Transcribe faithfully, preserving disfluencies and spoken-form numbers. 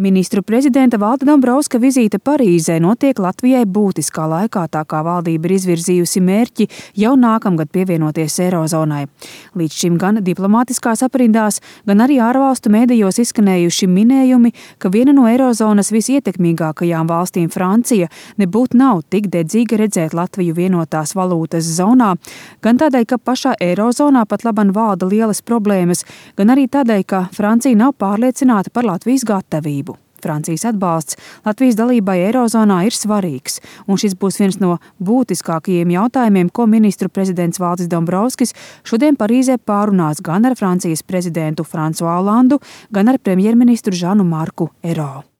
Ministru prezidenta Valda Dombrovska vizīte Parīzē notiek Latvijai būtiskā laikā, tā kā valdība ir izvirzījusi mērķi jau nākamgad pievienoties Eirozonai. Līdz šim gan diplomātiskās aprindās, gan arī ārvalstu mēdījos izskanējuši minējumi, ka viena no Eirozonas visietekmīgākajām valstīm, Francija, nebūtu nav tik dedzīga redzēt Latviju vienotās valūtas zonā, gan tādēļ, ka pašā Eirozonā pat laban valda lielas problēmas, gan arī tādēļ, ka Francija nav pārliecināta par Latvijas gatavību. Francijas atbalsts Latvijas dalībai Eirozonā ir svarīgs, un šis būs viens no būtiskākajiem jautājumiem, ko ministru prezidents Valdis Dombrovskis šodien Parīzē pārunās gan ar Francijas prezidentu Fransuā Olandu, gan ar premjerministru Žanu Marku Ero.